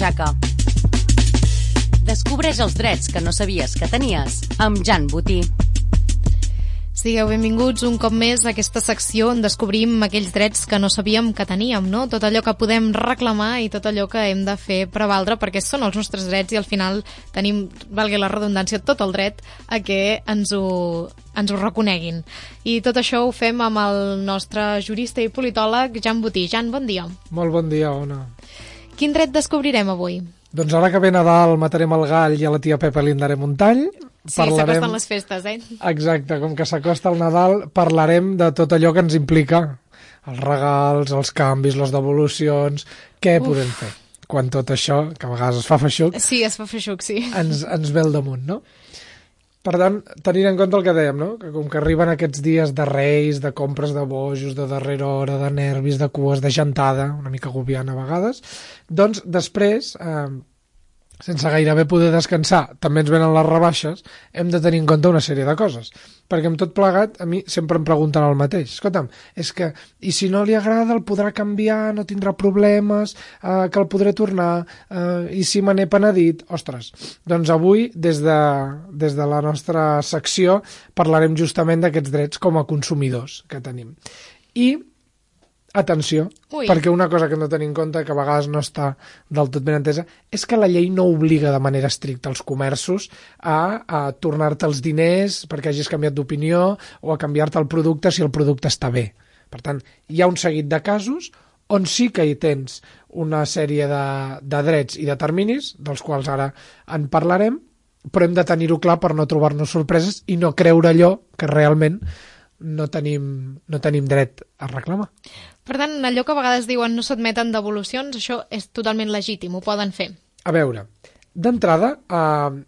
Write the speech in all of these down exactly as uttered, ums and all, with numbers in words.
butxaca. Descobreix els drets que no sabies que tenies amb Jan Botí. Sigueu benvinguts un cop més a aquesta secció on descobrim aquells drets que no sabíem que teníem, no? Tot allò que podem reclamar i tot allò que hem de fer prevaldre perquè són els nostres drets i al final tenim, valgui la redundància, tot el dret a que ens ho, ens ho reconeguin. I tot això ho fem amb el nostre jurista i politòleg Jan Botí. Jan, bon dia. Molt bon dia, Ona. Quin dret descobrirem avui? Doncs ara que ve Nadal matarem el gall i a la tia Pepa li en darem un tall. Sí, parlarem... s'acosten les festes, eh? Exacte, com que s'acosta el Nadal, parlarem de tot allò que ens implica. Els regals, els canvis, les devolucions... Què Uf. podem fer? Quan tot això, que a vegades es fa feixuc... Sí, es fa feixuc, sí. Ens, ens ve al damunt, no? Per tant, tenint en compte el que dèiem, no? Que com que arriben aquests dies de reis, de compres de bojos, de darrera hora, de nervis, de cues, de gentada, una mica agobiant a vegades, doncs després... Eh, sense gairebé poder descansar, també ens venen les rebaixes, hem de tenir en compte una sèrie de coses. Perquè amb tot plegat, a mi sempre em pregunten el mateix. Escolta'm, és que, i si no li agrada, el podrà canviar, no tindrà problemes, eh, que el podré tornar, eh, i si me n'he penedit... Ostres, doncs avui, des de, des de la nostra secció, parlarem justament d'aquests drets com a consumidors que tenim. I atenció, Ui. perquè una cosa que hem de tenir en compte, que a vegades no està del tot ben entesa, és que la llei no obliga de manera estricta els comerços a, a tornar-te els diners perquè hagis canviat d'opinió o a canviar-te el producte si el producte està bé. Per tant, hi ha un seguit de casos on sí que hi tens una sèrie de, de drets i de terminis, dels quals ara en parlarem, però hem de tenir-ho clar per no trobar-nos sorpreses i no creure allò que realment no tenim, no tenim dret a reclamar. Per tant, allò que a vegades diuen no s'admeten devolucions, això és totalment legítim, ho poden fer. A veure, d'entrada, eh,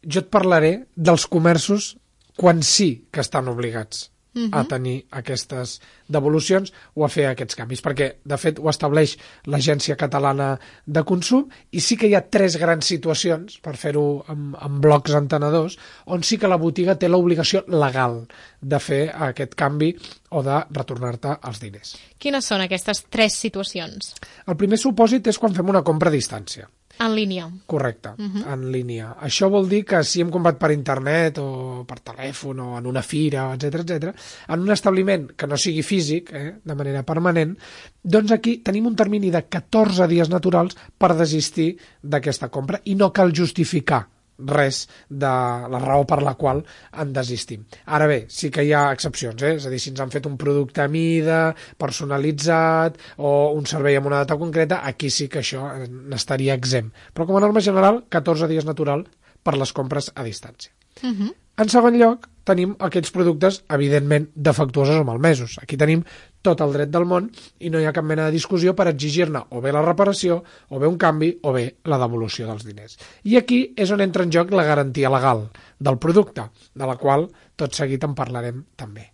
jo et parlaré dels comerços quan sí que estan obligats uh-huh. a tenir aquestes devolucions o a fer aquests canvis, perquè, de fet, ho estableix l'Agència Catalana de Consum i sí que hi ha tres grans situacions, per fer-ho amb, amb blocs entenedors, on sí que la botiga té l'obligació legal de fer aquest canvi o de retornar-te els diners. Quines són aquestes tres situacions? El primer supòsit és quan fem una compra a distància. En línia. Correcte, uh-huh. en línia. Això vol dir que si hem comprat per internet o per telèfon o en una fira, etcètera, etcètera, en un establiment que no sigui físic, eh, de manera permanent, doncs aquí tenim un termini de catorze dies naturals per desistir d'aquesta compra i no cal justificar res de la raó per la qual en desistim. Ara bé, sí que hi ha excepcions, eh? És a dir, si ens han fet un producte a mida, personalitzat o un servei amb una data concreta, aquí sí que això n'estaria exempt. Però com a norma general, catorze dies natural per les compres a distància. Uh-huh. En segon lloc, tenim aquells productes, evidentment, defectuosos o malmesos. Aquí tenim tot el dret del món i no hi ha cap mena de discussió per exigir-ne o bé la reparació, o bé un canvi, o bé la devolució dels diners. I aquí és on entra en joc la garantia legal del producte, de la qual tot seguit en parlarem també.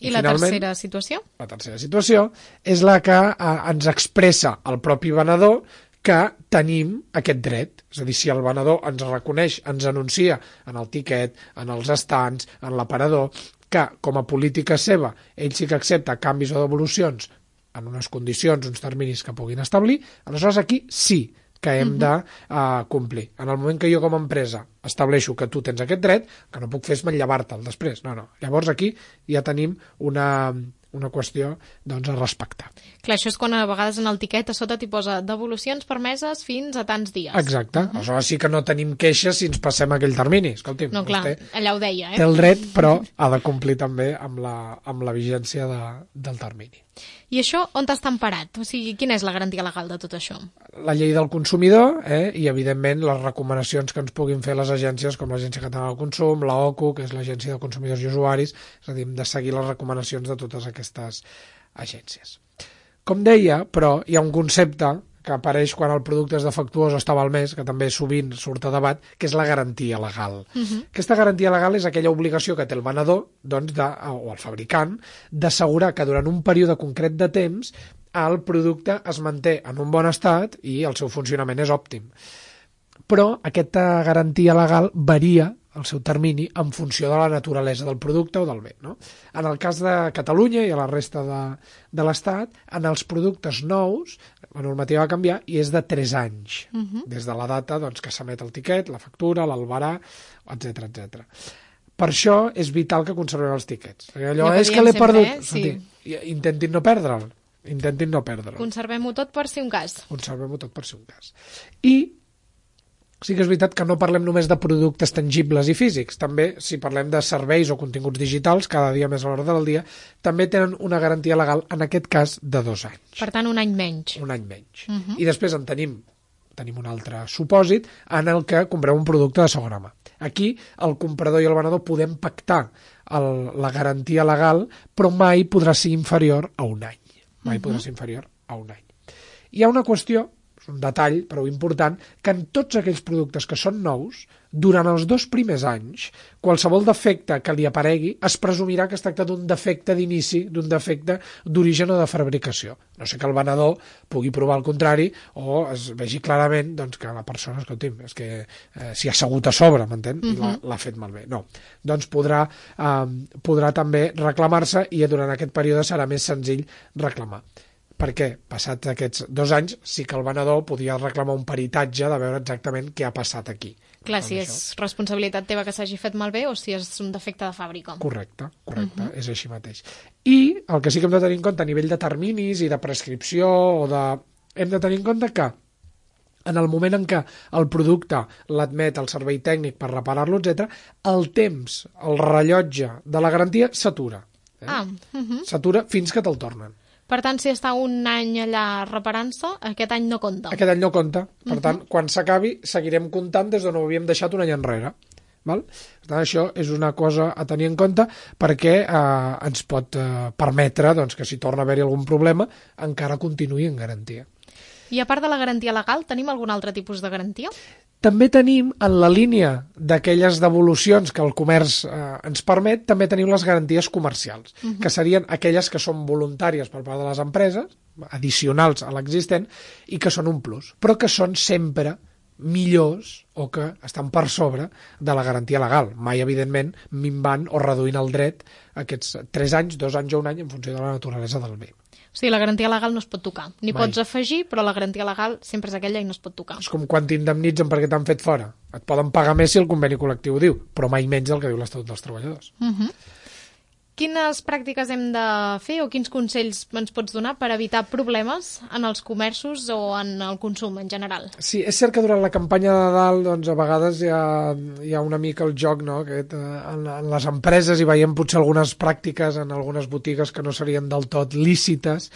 I, I la tercera situació? La tercera situació és la que eh, ens expressa el propi venedor que tenim aquest dret. És a dir, si el venedor ens reconeix, ens anuncia en el tiquet, en els estants, en l'aparador, que com a política seva ell sí que accepta canvis o devolucions en unes condicions, uns terminis que puguin establir, aleshores aquí sí que hem de uh, complir. En el moment que jo com a empresa estableixo que tu tens aquest dret, que no puc fer és manllevar-te'l després. No, no. Llavors aquí ja tenim una, una qüestió doncs, a respectar. Clar, això és quan a vegades en el tiquet a sota t'hi posa devolucions permeses fins a tants dies. Exacte. Uh-huh. Aleshores sí que no tenim queixes si ens passem aquell termini. Escolti'm, no, clar, allà ho deia, eh? Té el dret, però ha de complir també amb la, amb la vigència de, del termini. I això on està emparat? O sigui, quina és la garantia legal de tot això? La llei del consumidor eh, i, evidentment, les recomanacions que ens puguin fer les agències com l'Agència Catalana del Consum, l'O C U, que és l'Agència de Consumidors i Usuaris, és a dir, hem de seguir les recomanacions de totes aquestes agències. Com deia, però, hi ha un concepte que apareix quan el producte és defectuós o està malmès, que també sovint surt a debat, que és la garantia legal. Uh-huh. Aquesta garantia legal és aquella obligació que té el venedor, doncs, de, o el fabricant, d'assegurar que durant un període concret de temps el producte es manté en un bon estat i el seu funcionament és òptim. Però aquesta garantia legal varia el seu termini en funció de la naturalesa del producte o del bé. No? En el cas de Catalunya i a la resta de, de l'Estat, en els productes nous, la normativa va canviar i és de tres anys, uh-huh. des de la data doncs, que s'emet el tiquet, la factura, l'albarà, etcètera, etcètera. Per això és vital que conservem els tiquets. Allò ja és que l'he sempre, perdut. Eh? Sí. Sentir, intentin no perdre'l. Intentin no perdre'l. Conservem-ho tot per si un cas. Conservem-ho tot per si un cas. I sí que és veritat que no parlem només de productes tangibles i físics. També, si parlem de serveis o continguts digitals, cada dia més a l'hora del dia, també tenen una garantia legal, en aquest cas, de dos anys. Per tant, un any menys. Un any menys. Uh-huh. I després en tenim, tenim un altre supòsit en el que compreu un producte de segona mà. Aquí, el comprador i el venedor podem pactar el, la garantia legal, però mai podrà ser inferior a un any. Mai uh-huh. podrà ser inferior a un any. Hi ha una qüestió, un detall prou important, que en tots aquells productes que són nous, durant els dos primers anys, qualsevol defecte que li aparegui es presumirà que es tracta d'un defecte d'inici, d'un defecte d'origen o de fabricació. No sé que el venedor pugui provar el contrari o es vegi clarament doncs, que la persona, escolti'm, és que eh, s'hi ha assegut a sobre, m'entén? Uh-huh. I l'ha fet malbé. No. Doncs podrà, eh, podrà també reclamar-se i durant aquest període serà més senzill reclamar. Perquè, passats aquests dos anys, sí que el venedor podia reclamar un peritatge de veure exactament què ha passat aquí. Clar, si és això. Responsabilitat teva que s'hagi fet malbé o si és un defecte de fàbrica. Correcte, correcte, uh-huh. és així mateix. I el que sí que hem de tenir en compte a nivell de terminis i de prescripció, o de... hem de tenir en compte que en el moment en què el producte l'admet el servei tècnic per reparar-lo, etcètera, el temps, el rellotge de la garantia s'atura. Eh? Ah, uh-huh. S'atura fins que te'l tornen. Per tant, si està un any allà reparant-se, aquest any no compta. Aquest any no compta. Per uh-huh. tant, quan s'acabi, seguirem comptant des d'on ho havíem deixat un any enrere. Val? Per tant, això és una cosa a tenir en compte perquè eh, ens pot eh, permetre doncs, que si torna a haver-hi algun problema encara continuï en garantia. I a part de la garantia legal, tenim algun altre tipus de garantia? També tenim, en la línia d'aquelles devolucions que el comerç eh, ens permet, també tenim les garanties comercials, uh-huh. que serien aquelles que són voluntàries per part de les empreses, addicionals a l'existent, i que són un plus, però que són sempre millors o que estan per sobre de la garantia legal, mai, evidentment, minvant o reduint el dret aquests tres anys, dos anys o un any en funció de la naturalesa del bé. O sigui, la garantia legal no es pot tocar. N'hi Mai. pots afegir, però la garantia legal sempre és aquella i no es pot tocar. És com quan t'indemnitzen perquè t'han fet fora. Et poden pagar més si el conveni col·lectiu ho diu, però mai menys del que diu l'Estatut dels Treballadors. Uh-huh. Quines pràctiques hem de fer o quins consells ens pots donar per evitar problemes en els comerços o en el consum en general? Sí, és cert que durant la campanya de Nadal doncs, a vegades hi ha, hi ha una mica el joc, no? Aquest, eh, en, en les empreses hi veiem potser algunes pràctiques en algunes botigues que no serien del tot lícites.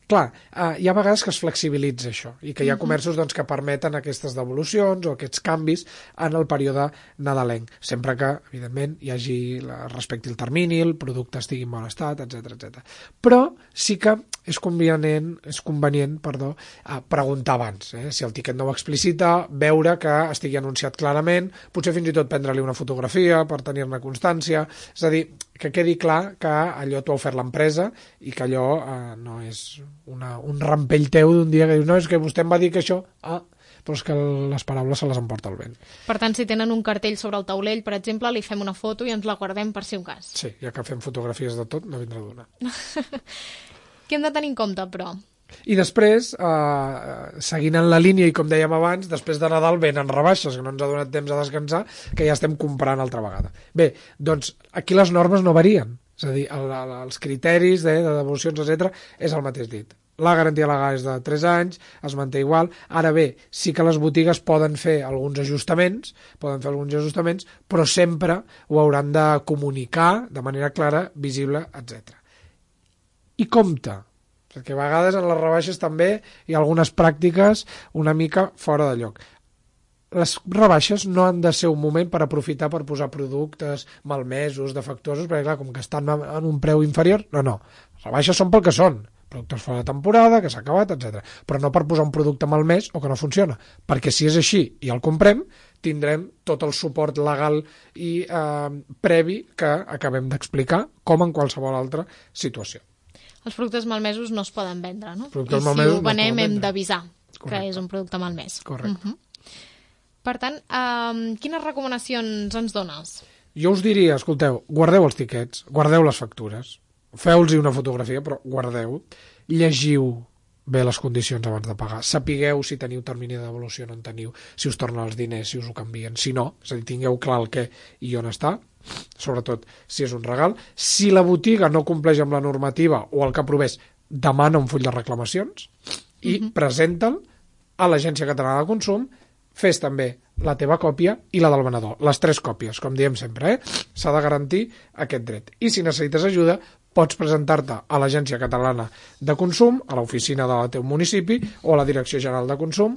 Clar, eh, hi ha vegades que es flexibilitza això i que hi ha comerços doncs, que permeten aquestes devolucions o aquests canvis en el període nadalenc, sempre que, evidentment, hi hagi la, respecti el termini, el producte estigui en bon estat, etcètera, etcètera. Però sí que és convenient, és convenient perdó, eh, preguntar abans. Eh? Si el tiquet no ho explicita, veure que estigui anunciat clarament, potser fins i tot prendre-li una fotografia per tenir-ne constància, és a dir, que quedi clar que allò t'ho ha ofert l'empresa i que allò eh, no és una, un rampell teu d'un dia que dius, no, és que vostè em va dir que això... Ah, però és que les paraules se les emporta el vent. Per tant, si tenen un cartell sobre el taulell, per exemple, li fem una foto i ens la guardem per si un cas. Sí, ja que fem fotografies de tot, no vindrà d'una. Què hem de tenir en compte, però? I després, eh, seguint en la línia, i com dèiem abans, després de Nadal venen rebaixes, que no ens ha donat temps a descansar, que ja estem comprant altra vegada. Bé, doncs aquí les normes no varien, és a dir, el, el, els criteris de, de devolucions, etcètera, és el mateix dit. La garantia legal és de tres anys, es manté igual. Ara bé, sí que les botigues poden fer alguns ajustaments, poden fer alguns ajustaments, però sempre ho hauran de comunicar de manera clara, visible, etcètera. I compte, perquè a vegades en les rebaixes també hi ha algunes pràctiques una mica fora de lloc. Les rebaixes no han de ser un moment per aprofitar per posar productes malmesos, defectuosos, perquè clar, com que estan en un preu inferior, no, no. Les rebaixes són pel que són, productes fora de temporada, que s'ha acabat, etcètera. Però no per posar un producte malmès o que no funciona. Perquè si és així i el comprem, tindrem tot el suport legal i eh, previ que acabem d'explicar, com en qualsevol altra situació. Els productes malmesos no es poden vendre, no? Productes I si ho venem no hem d'avisar Correcte. Que és un producte malmès. Correcte. Uh-huh. Per tant, um, quines recomanacions ens dones? Jo us diria, escolteu, guardeu els tiquets, guardeu les factures, feu-los una fotografia, però guardeu, llegiu bé les condicions abans de pagar. Sapigueu si teniu termini de devolució o no en teniu, si us tornen els diners, si us ho canvien, si no, és a dir, tingueu clar el què i on està, sobretot si és un regal. Si la botiga no compleix amb la normativa o el que aprovés, demana un full de reclamacions i mm-hmm. presenta'l a l'Agència Catalana de Consum. Fes també la teva còpia i la del venedor, les tres còpies, com diem sempre, eh? S'ha de garantir aquest dret. I si necessites ajuda, pots presentar-te a l'Agència Catalana de Consum, a l'oficina del teu municipi o a la Direcció General de Consum,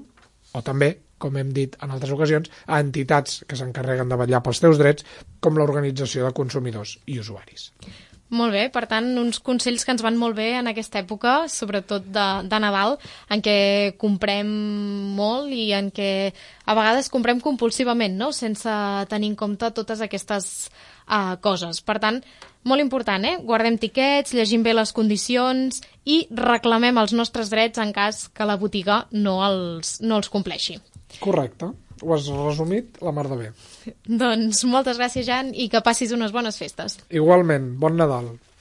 o també, com hem dit en altres ocasions, a entitats que s'encarreguen de vetllar pels teus drets, com l'Organització de Consumidors i Usuaris. Molt bé, per tant, uns consells que ens van molt bé en aquesta època, sobretot de, de Nadal, en què comprem molt i en què a vegades comprem compulsivament, no?, sense tenir en compte totes aquestes uh, coses. Per tant, molt important, eh? Guardem tiquets, llegim bé les condicions i reclamem els nostres drets en cas que la botiga no els, no els compleixi. Correcte. Ho has resumit la mar de bé. Doncs moltes gràcies, Jan, i que passis unes bones festes. Igualment, bon Nadal.